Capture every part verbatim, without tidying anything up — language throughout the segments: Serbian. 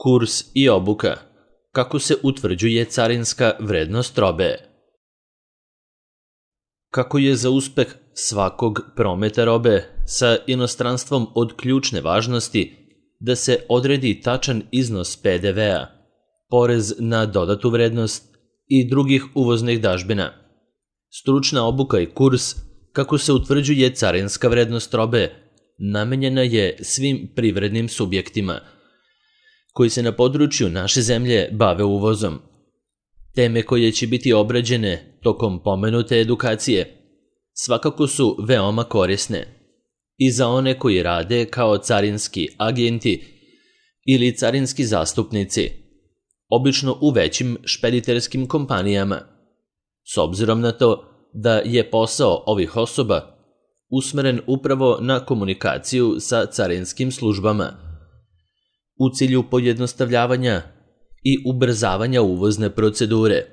Kurs i obuka. Kako se utvrđuje carinska vrednost robe? Kako je za uspeh svakog prometa robe sa inostranstvom od ključne važnosti da se odredi tačan iznos P D V-a, porez na dodatu vrednost i drugih uvoznih dažbina. Stručna obuka i kurs kako se utvrđuje carinska vrednost robe namenjena je svim privrednim subjektima koji se na području naše zemlje bave uvozom. Teme koje će biti obrađene tokom pomenute edukacije svakako su veoma korisne i za one koji rade kao carinski agenti ili carinski zastupnici, obično u većim špediterskim kompanijama, s obzirom na to da je posao ovih osoba usmeren upravo na komunikaciju sa carinskim službama u cilju pojednostavljavanja i ubrzavanja uvozne procedure.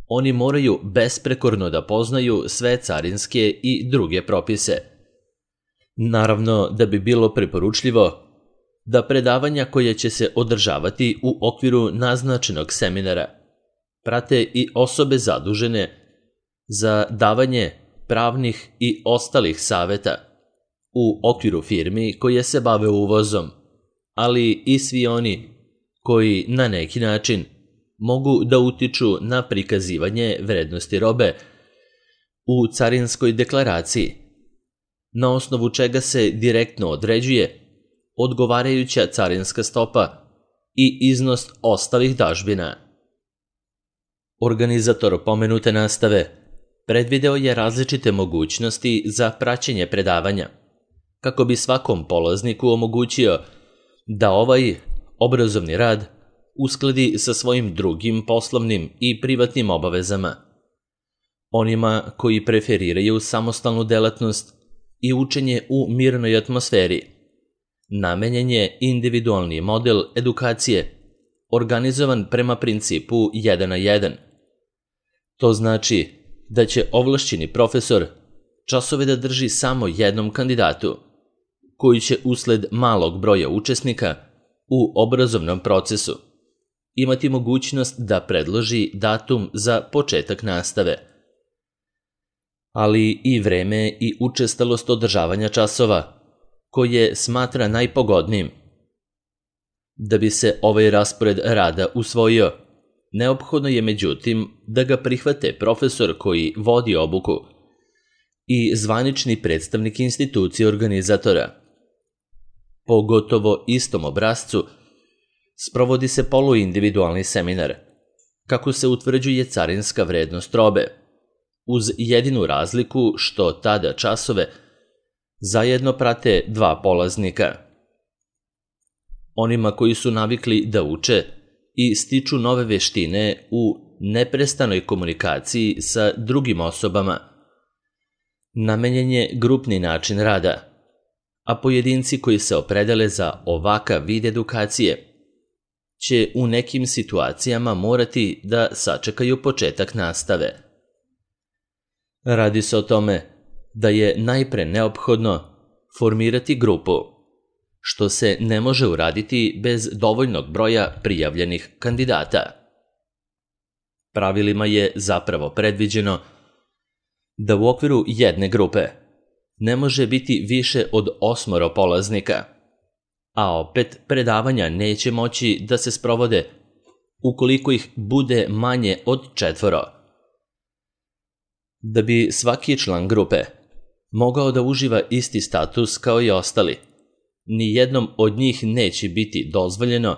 Oni moraju besprekorno da poznaju sve carinske i druge propise. Naravno da bi bilo preporučljivo da predavanja koje će se održavati u okviru naznačenog seminara prate i osobe zadužene za davanje pravnih i ostalih saveta u okviru firmi koje se bave uvozom, ali i svi oni koji na neki način mogu da utiču na prikazivanje vrednosti robe u carinskoj deklaraciji, na osnovu čega se direktno određuje odgovarajuća carinska stopa i iznos ostalih dažbina. Organizator pomenute nastave predvideo je različite mogućnosti za praćenje predavanja, kako bi svakom polazniku omogućio da ovaj obrazovni rad uskladi sa svojim drugim poslovnim i privatnim obavezama. Onima koji preferiraju samostalnu delatnost i učenje u mirnoj atmosferi, namenjen je individualni model edukacije organizovan prema principu jedan na jedan. To znači da će ovlašćeni profesor časove da drži samo jednom kandidatu, koji će usled malog broja učesnika u obrazovnom procesu imati mogućnost da predloži datum za početak nastave, ali i vreme i učestalost održavanja časova koje smatra najpogodnijim. Da bi se ovaj raspored rada usvojio, neophodno je međutim da ga prihvate profesor koji vodi obuku i zvanični predstavnik institucije organizatora. Po gotovo istom obrascu sprovodi se poluindividualni seminar kako se utvrđuje carinska vrednost robe, uz jedinu razliku što tada časove zajedno prate dva polaznika. Onima koji su navikli da uče i stiču nove veštine u neprestanoj komunikaciji sa drugim osobama, namenjen je grupni način rada, a pojedinci koji se opredele za ovakav vid edukacije će u nekim situacijama morati da sačekaju početak nastave. Radi se o tome da je najpre neophodno formirati grupu, što se ne može uraditi bez dovoljnog broja prijavljenih kandidata. Pravilima je zapravo predviđeno da u okviru jedne grupe ne može biti više od osmoro polaznika, a opet predavanja neće moći da se sprovode ukoliko ih bude manje od četvoro. Da bi svaki član grupe mogao da uživa isti status kao i ostali, ni jednom od njih neće biti dozvoljeno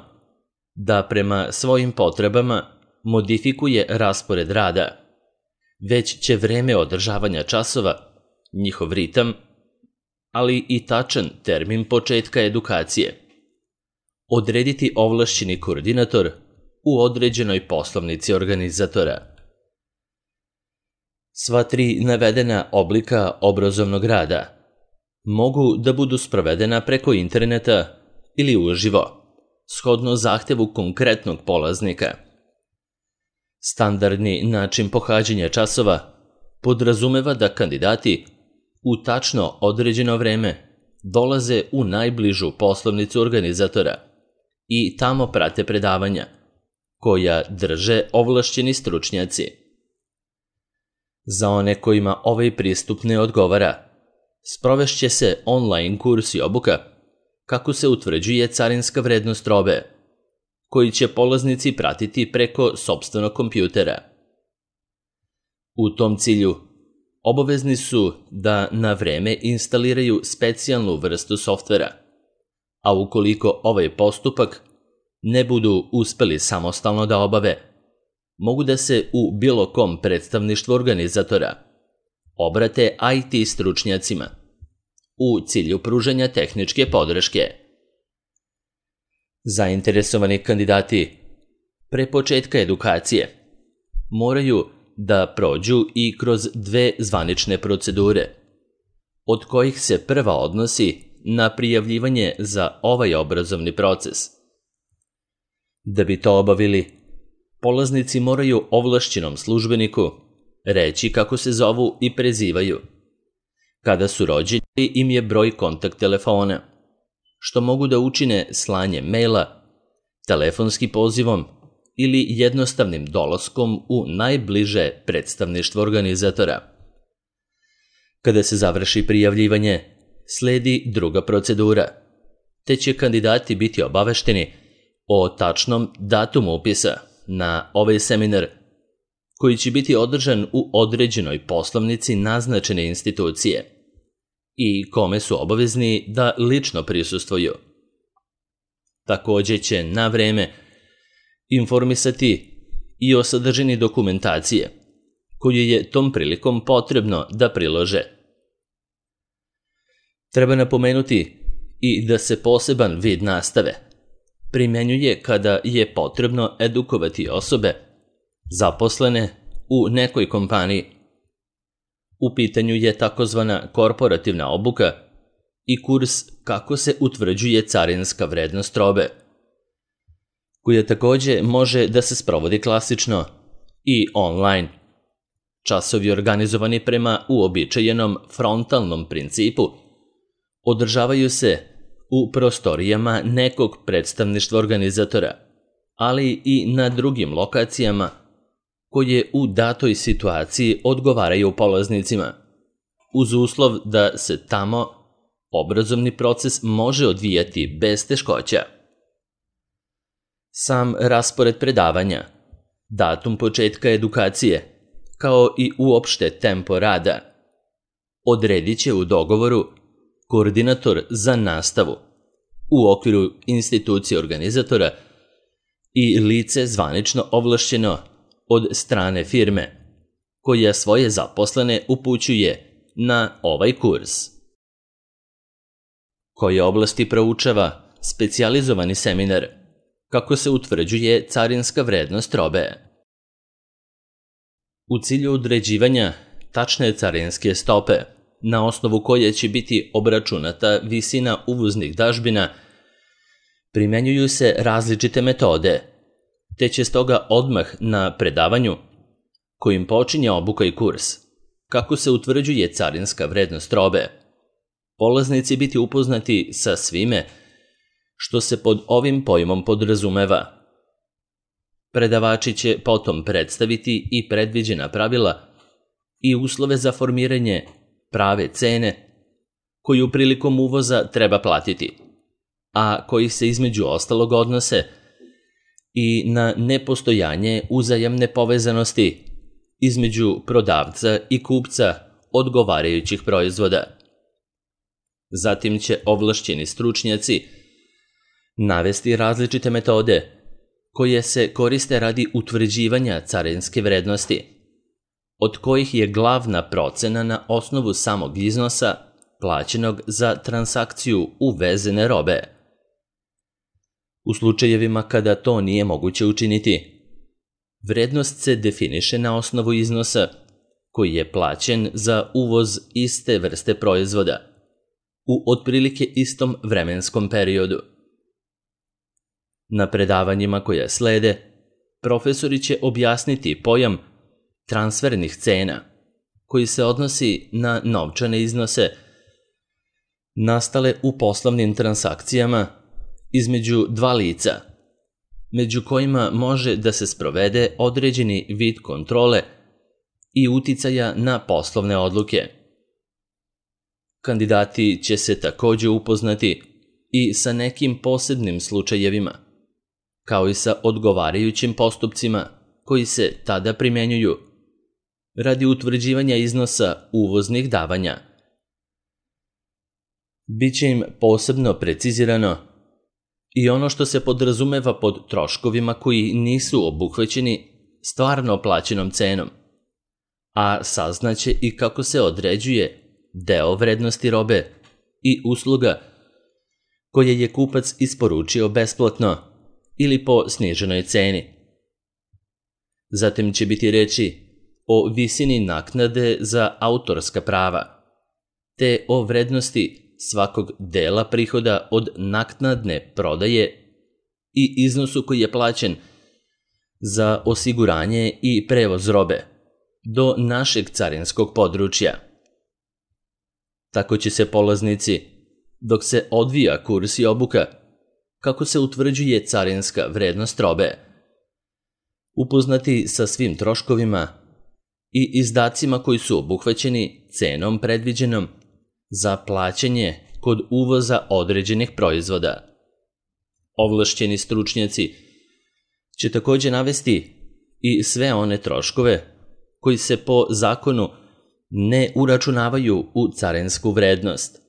da prema svojim potrebama modifikuje raspored rada, već će vreme održavanja časova, njihov ritam, ali i tačan termin početka edukacije odrediti ovlašćeni koordinator u određenoj poslovnici organizatora. Sva tri navedena oblika obrazovnog rada mogu da budu sprovedena preko interneta ili uživo, shodno zahtevu konkretnog polaznika. Standardni način pohađanja časova podrazumeva da kandidati u tačno određeno vreme dolaze u najbližu poslovnicu organizatora i tamo prate predavanja, koja drže ovlašćeni stručnjaci. Za one kojima ovaj pristup ne odgovara, sprovešće se online kurs i obuka kako se utvrđuje carinska vrednost robe, koji će polaznici pratiti preko sopstvenog kompjutera. U tom cilju, obavezni su da na vreme instaliraju specijalnu vrstu softvera, a ukoliko ovaj postupak ne budu uspeli samostalno da obave, mogu da se u bilo kom predstavništvu organizatora obrate I T stručnjacima u cilju pružanja tehničke podrške. Zainteresovani kandidati pre početka edukacije moraju da prođu i kroz dve zvanične procedure, od kojih se prva odnosi na prijavljivanje za ovaj obrazovni proces. Da bi to obavili, polaznici moraju ovlašćenom službeniku reći kako se zovu i prezivaju, kada su rođeni im je broj kontakt telefona, što mogu da učine slanjem maila, telefonskim pozivom ili jednostavnim dolaskom u najbliže predstavništvo organizatora. Kada se završi prijavljivanje, sledi druga procedura, te će kandidati biti obavešteni o tačnom datumu upisa na ovaj seminar, koji će biti održan u određenoj poslovnici naznačene institucije i kome su obavezni da lično prisustvuju. Takođe će na vreme informisati i o sadržini dokumentacije, koju je tom prilikom potrebno da prilože. Treba napomenuti i da se poseban vid nastave primenjuje kada je potrebno edukovati osobe zaposlene u nekoj kompaniji. U pitanju je takozvana korporativna obuka i kurs kako se utvrđuje carinska vrednost robe, koja takođe može da se sprovodi klasično i online. Časovi organizovani prema uobičajenom frontalnom principu održavaju se u prostorijama nekog predstavništva organizatora, ali i na drugim lokacijama koje u datoj situaciji odgovaraju polaznicima, uz uslov da se tamo obrazovni proces može odvijati bez teškoća. Sam raspored predavanja, datum početka edukacije, kao i uopšte tempo rada, odredit će u dogovoru koordinator za nastavu u okviru institucije organizatora i lice zvanično ovlašćeno od strane firme, koja svoje zaposlene upućuje na ovaj kurs. Koje oblasti proučava specijalizovani seminar, kako se utvrđuje carinska vrednost robe. U cilju određivanja tačne carinske stope, na osnovu koje će biti obračunata visina uvoznih dažbina, primenjuju se različite metode, te će stoga odmah na predavanju, kojim počinje obuka i kurs, kako se utvrđuje carinska vrednost robe, polaznici biti upoznati sa svime što se pod ovim pojmom podrazumeva. Predavači će potom predstaviti i predviđena pravila i uslove za formiranje prave cene koju prilikom uvoza treba platiti, a koji se između ostalog odnose i na nepostojanje uzajamne povezanosti između prodavca i kupca odgovarajućih proizvoda. Zatim će ovlašćeni stručnjaci navesti različite metode koje se koriste radi utvrđivanja carinske vrednosti, od kojih je glavna procena na osnovu samog iznosa plaćenog za transakciju uvezene robe. U slučajevima kada to nije moguće učiniti, vrednost se definiše na osnovu iznosa koji je plaćen za uvoz iste vrste proizvoda u otprilike istom vremenskom periodu. Na predavanjima koja slede, profesori će objasniti pojam transfernih cena, koji se odnosi na novčane iznose nastale u poslovnim transakcijama između dva lica, među kojima može da se sprovede određeni vid kontrole i uticaja na poslovne odluke. Kandidati će se takođe upoznati i sa nekim posebnim slučajevima, kao i sa odgovarajućim postupcima koji se tada primenjuju radi utvrđivanja iznosa uvoznih davanja. Biće im posebno precizirano i ono što se podrazumeva pod troškovima koji nisu obuhvaćeni stvarno plaćenom cenom, a saznaće i kako se određuje deo vrednosti robe i usluga koje je kupac isporučio besplatno ili po sniženoj ceni. Zatim će biti reči o visini naknade za autorska prava, te o vrednosti svakog dela prihoda od naknadne prodaje i iznosu koji je plaćen za osiguranje i prevoz robe do našeg carinskog područja. Tako će se polaznici, dok se odvija kurs i obuka, kako se utvrđuje carinska vrednost robe, upoznati sa svim troškovima i izdacima koji su obuhvaćeni cenom predviđenom za plaćanje kod uvoza određenih proizvoda. Ovlašćeni stručnjaci će takođe navesti i sve one troškove koji se po zakonu ne uračunavaju u carinsku vrednost,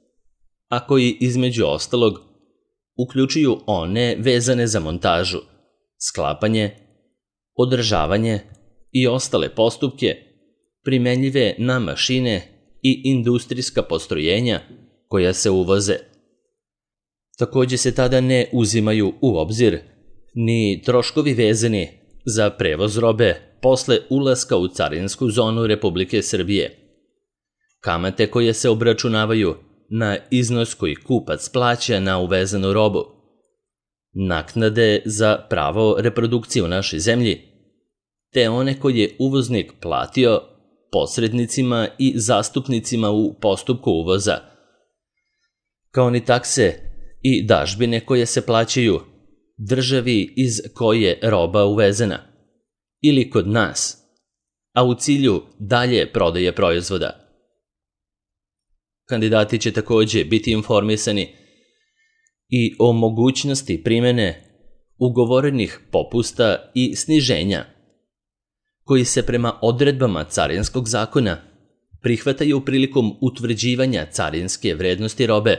a koji između ostalog uključuju one vezane za montažu, sklapanje, održavanje i ostale postupke primenljive na mašine i industrijska postrojenja koja se uvoze. Takođe se tada ne uzimaju u obzir ni troškovi vezani za prevoz robe posle ulaska u carinsku zonu Republike Srbije, kamate koje se obračunavaju na iznos koji kupac plaća na uvezanu robu, naknade za pravo reprodukcije u našoj zemlji, te one koje je uvoznik platio posrednicima i zastupnicima u postupku uvoza, kao ni takse i dažbine koje se plaćaju državi iz koje je roba uvezena ili kod nas, a u cilju dalje prodaje proizvoda. Kandidati će takođe biti informisani i o mogućnosti primene ugovorenih popusta i sniženja koji se prema odredbama carinskog zakona prihvataju prilikom utvrđivanja carinske vrednosti robe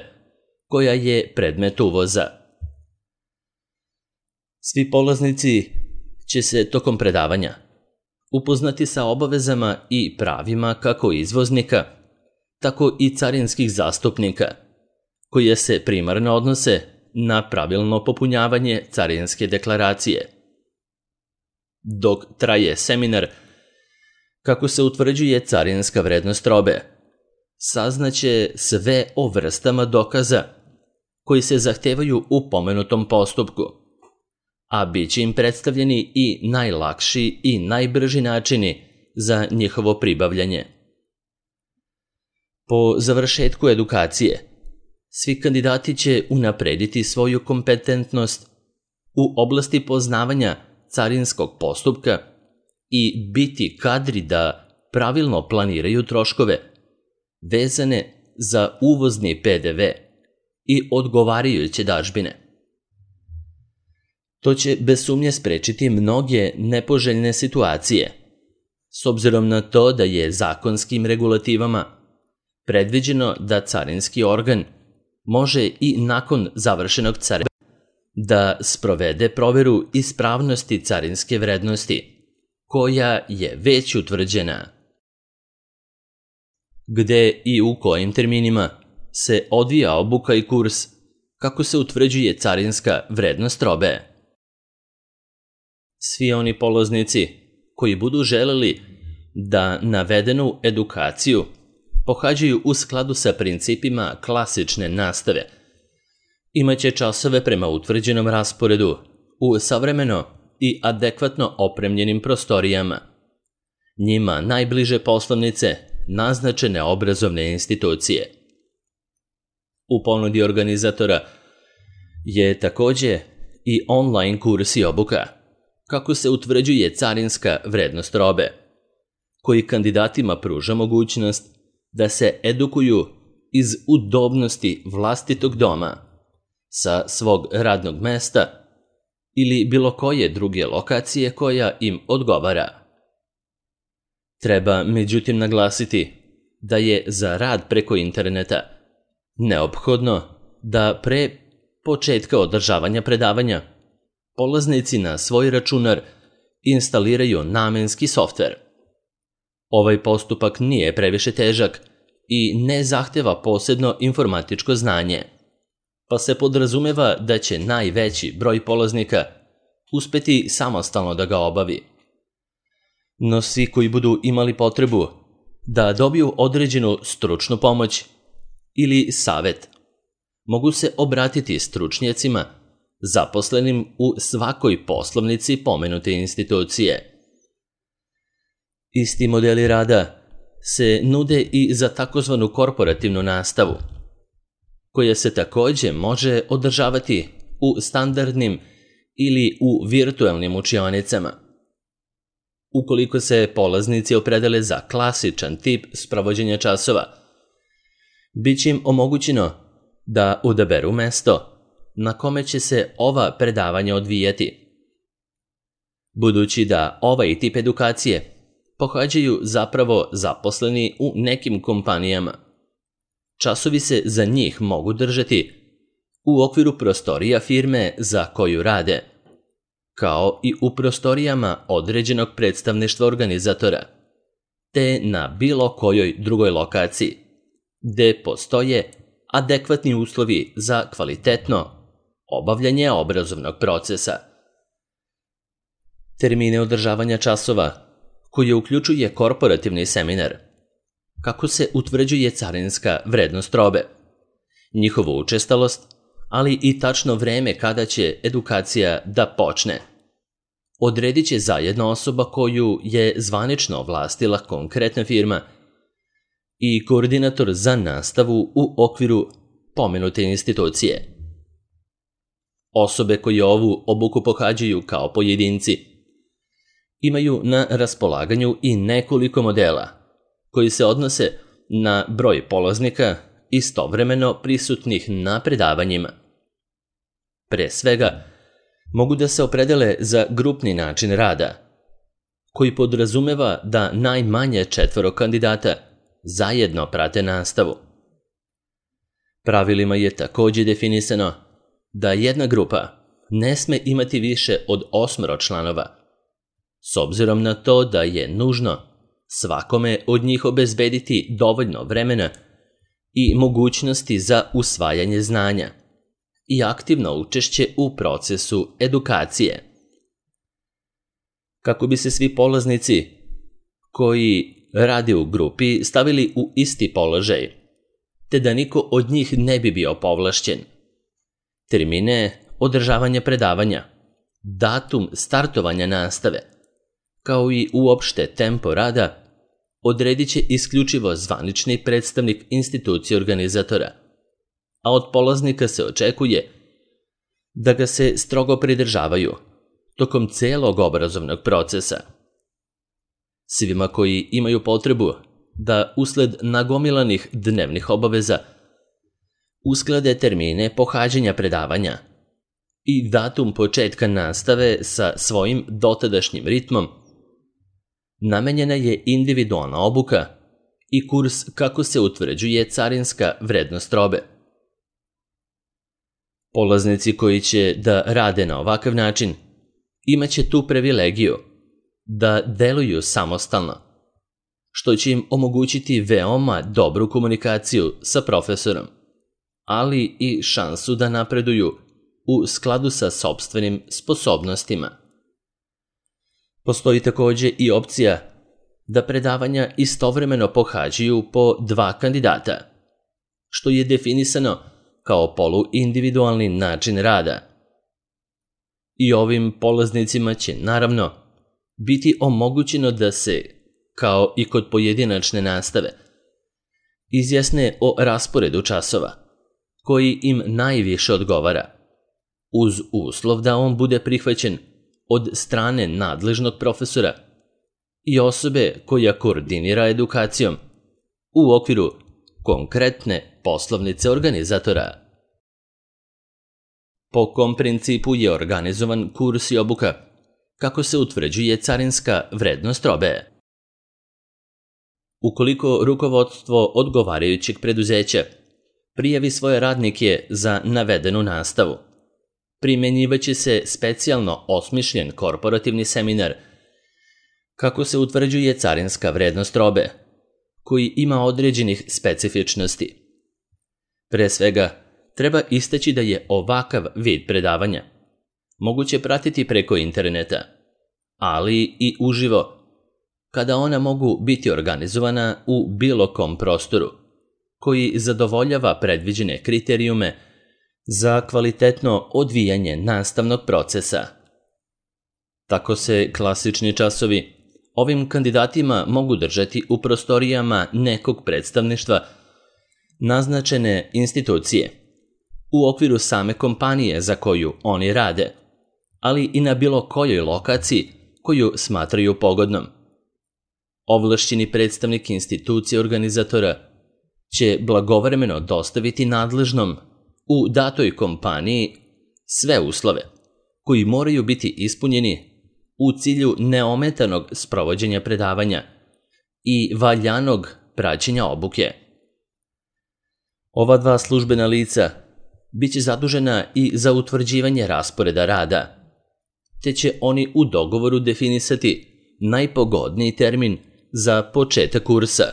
koja je predmet uvoza. Svi polaznici će se tokom predavanja upoznati sa obavezama i pravima kako izvoznika, tako i carinskih zastupnika, koje se primarno odnose na pravilno popunjavanje carinske deklaracije. Dok traje seminar kako se utvrđuje carinska vrednost robe, saznaće sve o vrstama dokaza koji se zahtevaju u pomenutom postupku, a bit će im predstavljeni i najlakši i najbrži načini za njihovo pribavljanje. Po završetku edukacije, svi kandidati će unaprediti svoju kompetentnost u oblasti poznavanja carinskog postupka i biti kadri da pravilno planiraju troškove vezane za uvozni P D V i odgovarajuće dažbine. To će bez sumnje sprečiti mnoge nepoželjne situacije, s obzirom na to da je zakonskim regulativama predviđeno da carinski organ može i nakon završenog carinskog da sprovede proveru ispravnosti carinske vrednosti, koja je već utvrđena. Gde i u kojim terminima se odvija obuka i kurs kako se utvrđuje carinska vrednost robe. Svi oni polaznici koji budu želeli da navedenu edukaciju pohađaju u skladu sa principima klasične nastave, imaće časove prema utvrđenom rasporedu u savremeno i adekvatno opremljenim prostorijama. Njima najbliže poslovnice naznačene obrazovne institucije. U ponudi organizatora je također i online kurs i obuka kako se utvrđuje carinska vrednost robe, koji kandidatima pruža mogućnost da se edukuju iz udobnosti vlastitog doma, sa svog radnog mesta ili bilo koje druge lokacije koja im odgovara. Treba međutim naglasiti da je za rad preko interneta neophodno da pre početka održavanja predavanja polaznici na svoj računar instaliraju namenski softver. Ovaj postupak nije previše težak i ne zahteva posebno informatičko znanje, pa se podrazumeva da će najveći broj polaznika uspeti samostalno da ga obavi. No svi koji budu imali potrebu da dobiju određenu stručnu pomoć ili savjet, mogu se obratiti stručnjacima zaposlenim u svakoj poslovnici pomenute institucije. Isti modeli rada se nude i za takozvanu korporativnu nastavu, koja se također može održavati u standardnim ili u virtualnim učionicama. Ukoliko se polaznici opredele za klasičan tip sprovođenja časova, bit će im omogućeno da odaberu mesto na kome će se ova predavanja odvijati. Budući da ovaj tip edukacije pohađaju zapravo zaposleni u nekim kompanijama, časovi se za njih mogu držati u okviru prostorija firme za koju rade, kao i u prostorijama određenog predstavništva organizatora, te na bilo kojoj drugoj lokaciji, gde postoje adekvatni uslovi za kvalitetno obavljanje obrazovnog procesa. Termine održavanja časova, koje uključuje korporativni seminar, kako se utvrđuje carinska vrednost robe, njihovu učestalost, ali i tačno vreme kada će edukacija da počne, odredit će zajedno osoba koju je zvanično ovlastila konkretna firma i koordinator za nastavu u okviru pomenute institucije. Osobe koje ovu obuku pohađaju kao pojedinci imaju na raspolaganju i nekoliko modela koji se odnose na broj polaznika istovremeno prisutnih na predavanjima. Pre svega, mogu da se opredele za grupni način rada, koji podrazumeva da najmanje četvoro kandidata zajedno prate nastavu. Pravilima je također definisano da jedna grupa ne sme imati više od osmoro članova, s obzirom na to da je nužno svakome od njih obezbediti dovoljno vremena i mogućnosti za usvajanje znanja i aktivno učešće u procesu edukacije. Kako bi se svi polaznici koji rade u grupi stavili u isti položaj, te da niko od njih ne bi bio povlašćen, termine održavanja predavanja, datum startovanja nastave, kao i uopšte tempo rada, odredit će isključivo zvanični predstavnik institucije organizatora, a od polaznika se očekuje da ga se strogo pridržavaju tokom celog obrazovnog procesa. Svima koji imaju potrebu da usled nagomilanih dnevnih obaveza usklade termine pohađanja predavanja i datum početka nastave sa svojim dotadašnjim ritmom, namenjena je individualna obuka i kurs kako se utvrđuje carinska vrednost robe. Polaznici koji će da rade na ovakav način imaće tu privilegiju da deluju samostalno, što će im omogućiti veoma dobru komunikaciju sa profesorom, ali i šansu da napreduju u skladu sa sopstvenim sposobnostima. Postoji također i opcija da predavanja istovremeno pohađaju po dva kandidata, što je definisano kao poluindividualni način rada. I ovim polaznicima će naravno biti omogućeno da se, kao i kod pojedinačne nastave, izjasne o rasporedu časova, koji im najviše odgovara, uz uslov da on bude prihvaćen od strane nadležnog profesora i osobe koja koordinira edukacijom u okviru konkretne poslovnice organizatora. Po kom principu je organizovan kurs i obuka? Kako se utvrđuje carinska vrednost robe? Ukoliko rukovodstvo odgovarajućeg preduzeća prijavi svoje radnike za navedenu nastavu, primjenjivaće se specijalno osmišljen korporativni seminar kako se utvrđuje carinska vrednost robe, koji ima određenih specifičnosti. Pre svega, treba istaći da je ovakav vid predavanja moguće pratiti preko interneta, ali i uživo, kada ona mogu biti organizovana u bilo kom prostoru, koji zadovoljava predviđene kriterijume za kvalitetno odvijanje nastavnog procesa. Tako se klasični časovi ovim kandidatima mogu držati u prostorijama nekog predstavništva naznačene institucije, u okviru same kompanije za koju oni rade, ali i na bilo kojoj lokaciji koju smatraju pogodnom. Ovlašćeni predstavnik institucije organizatora će blagovremeno dostaviti nadležnom u datoj kompaniji sve uslove koji moraju biti ispunjeni u cilju neometanog sprovođenja predavanja i valjanog praćenja obuke. Ova dva službena lica biće zadužena i za utvrđivanje rasporeda rada, te će oni u dogovoru definisati najpogodniji termin za početak kursa,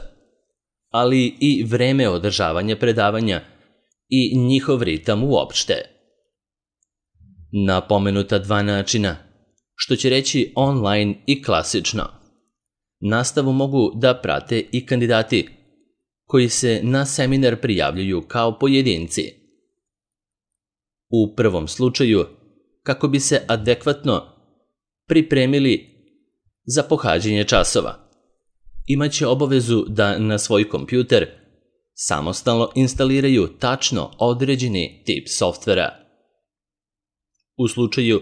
ali i vreme održavanja predavanja i njihov ritam uopšte. Na pomenuta dva načina, što će reći online i klasično, nastavu mogu da prate i kandidati koji se na seminar prijavljuju kao pojedinci. U prvom slučaju, kako bi se adekvatno pripremili za pohađanje časova, imaće obavezu da na svoj kompjuter samostalno instaliraju tačno određeni tip softvera. U slučaju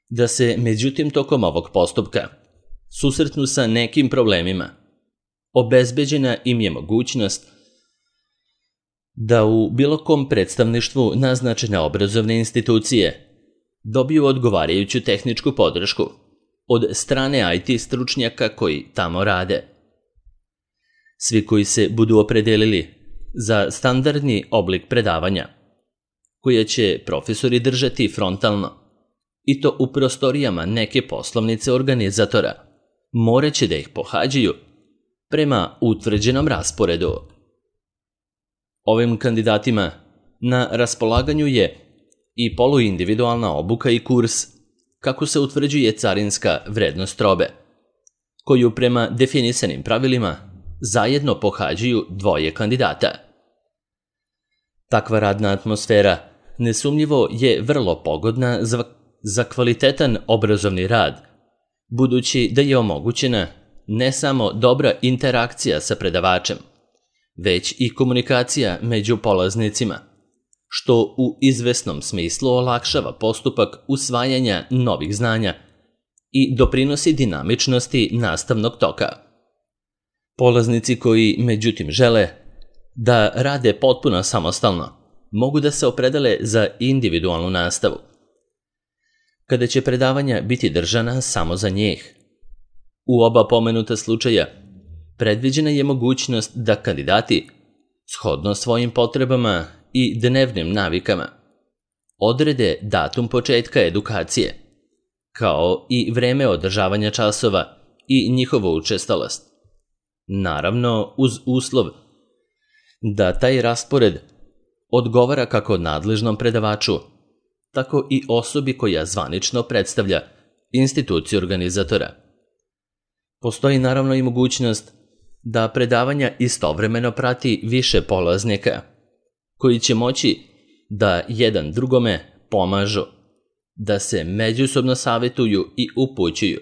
da se međutim tokom ovog postupka susretnu sa nekim problemima, obezbeđena im je mogućnost da u bilo kom predstavništvu naznačene obrazovne institucije dobiju odgovarajuću tehničku podršku od strane I T stručnjaka koji tamo rade. Svi koji se budu opredelili za standardni oblik predavanja, koje će profesori držati frontalno, i to u prostorijama neke poslovnice organizatora, moraće da ih pohađaju prema utvrđenom rasporedu. Ovim kandidatima na raspolaganju je i poluindividualna obuka i kurs kako se utvrđuje carinska vrednost robe, koju prema definisanim pravilima zajedno pohađaju dvoje kandidata. Takva radna atmosfera nesumnjivo je vrlo pogodna za, za kvalitetan obrazovni rad, budući da je omogućena ne samo dobra interakcija sa predavačem, već i komunikacija među polaznicima, što u izvesnom smislu olakšava postupak usvajanja novih znanja i doprinosi dinamičnosti nastavnog toka. Polaznici koji, međutim, žele da rade potpuno samostalno, mogu da se opredele za individualnu nastavu, kada će predavanja biti držana samo za njih. U oba pomenuta slučaja predviđena je mogućnost da kandidati, shodno svojim potrebama i dnevnim navikama, odrede datum početka edukacije, kao i vreme održavanja časova i njihovu učestalost. Naravno, uz uslov da taj raspored odgovara kako nadležnom predavaču, tako i osobi koja zvanično predstavlja instituciju organizatora. Postoji naravno i mogućnost da predavanja istovremeno prati više polaznika, koji će moći da jedan drugome pomažu, da se međusobno savjetuju i upućuju,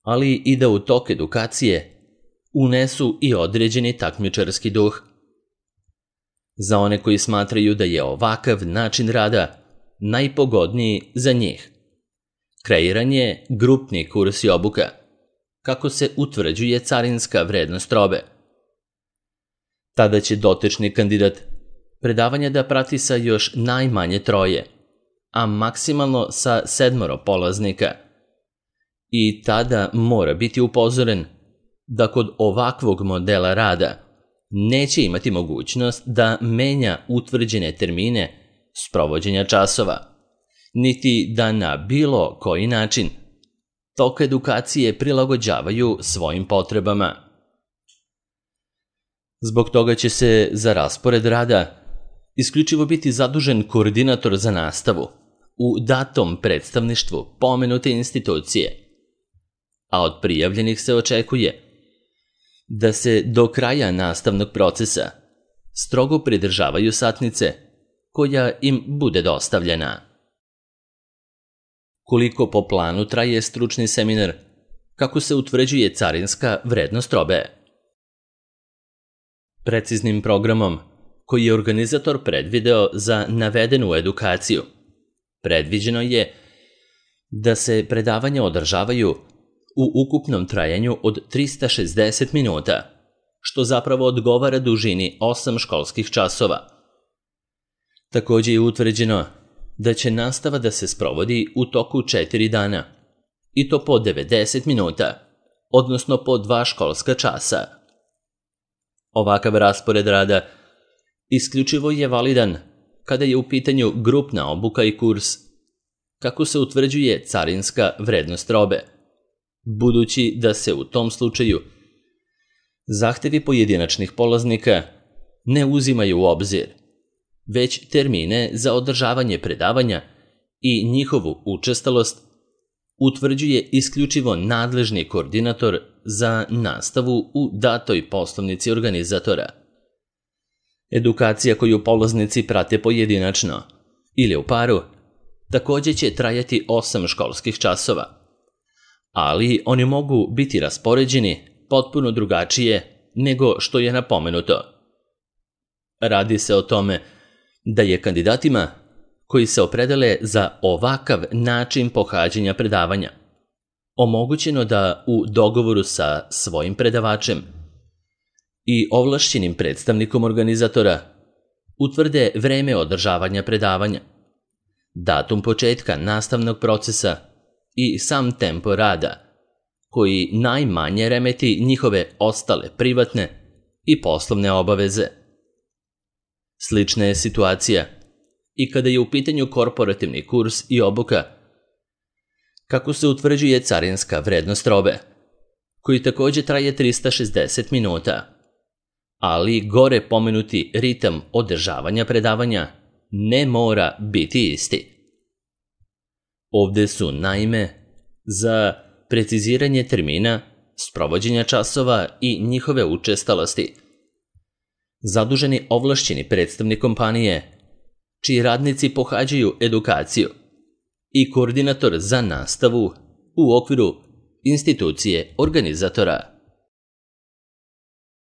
ali i da u tok edukacije unesu i određeni takmičarski duh. Za one koji smatraju da je ovakav način rada najpogodniji za njih. Kreiran je grupni kurs i obuka. Kako se utvrđuje carinska vrednost robe. Tada će dotični kandidat predavanja da prati sa još najmanje troje, a maksimalno sa sedmoro polaznika. I tada mora biti upozoren da kod ovakvog modela rada neće imati mogućnost da menja utvrđene termine sprovođenja časova, niti da na bilo koji način tok edukacije prilagođavaju svojim potrebama. Zbog toga će se za raspored rada isključivo biti zadužen koordinator za nastavu u datom predstavništvu pomenute institucije, a od prijavljenih se očekuje da se do kraja nastavnog procesa strogo pridržavaju satnice koja im bude dostavljena. Koliko po planu traje stručni seminar, kako se utvrđuje carinska vrednost robe? Preciznim programom koji je organizator predvideo za navedenu edukaciju, predviđeno je da se predavanja održavaju u ukupnom trajanju od trista šezdeset minuta, što zapravo odgovara dužini osam školskih časova. Također je utvrđeno da će nastava da se sprovodi u toku četiri dana, i to po devedeset minuta, odnosno po dva školska časa. Ovakav raspored rada isključivo je validan kada je u pitanju grupna obuka i kurs, kako se utvrđuje carinska vrednost robe, budući da se u tom slučaju zahtevi pojedinačnih polaznika ne uzimaju u obzir, već termine za održavanje predavanja i njihovu učestalost utvrđuje isključivo nadležni koordinator za nastavu u datoj poslovnici organizatora. Edukacija koju polaznici prate pojedinačno ili u paru također će trajati osam školskih časova, ali oni mogu biti raspoređeni potpuno drugačije nego što je napomenuto. Radi se o tome da je kandidatima koji se opredele za ovakav način pohađanja predavanja omogućeno da u dogovoru sa svojim predavačem i ovlašćenim predstavnikom organizatora utvrde vreme održavanja predavanja, datum početka nastavnog procesa i sam tempo rada, koji najmanje remeti njihove ostale privatne i poslovne obaveze. Slična je situacija i kada je u pitanju korporativni kurs i obuka, kako se utvrđuje carinska vrednost robe, koji također traje trista šezdeset minuta, ali gore pomenuti ritam održavanja predavanja ne mora biti isti. Ovdje su naime za preciziranje termina, sprovođenja časova i njihove učestalosti zaduženi ovlašćeni predstavnik kompanije, čiji radnici pohađaju edukaciju, i koordinator za nastavu u okviru institucije organizatora.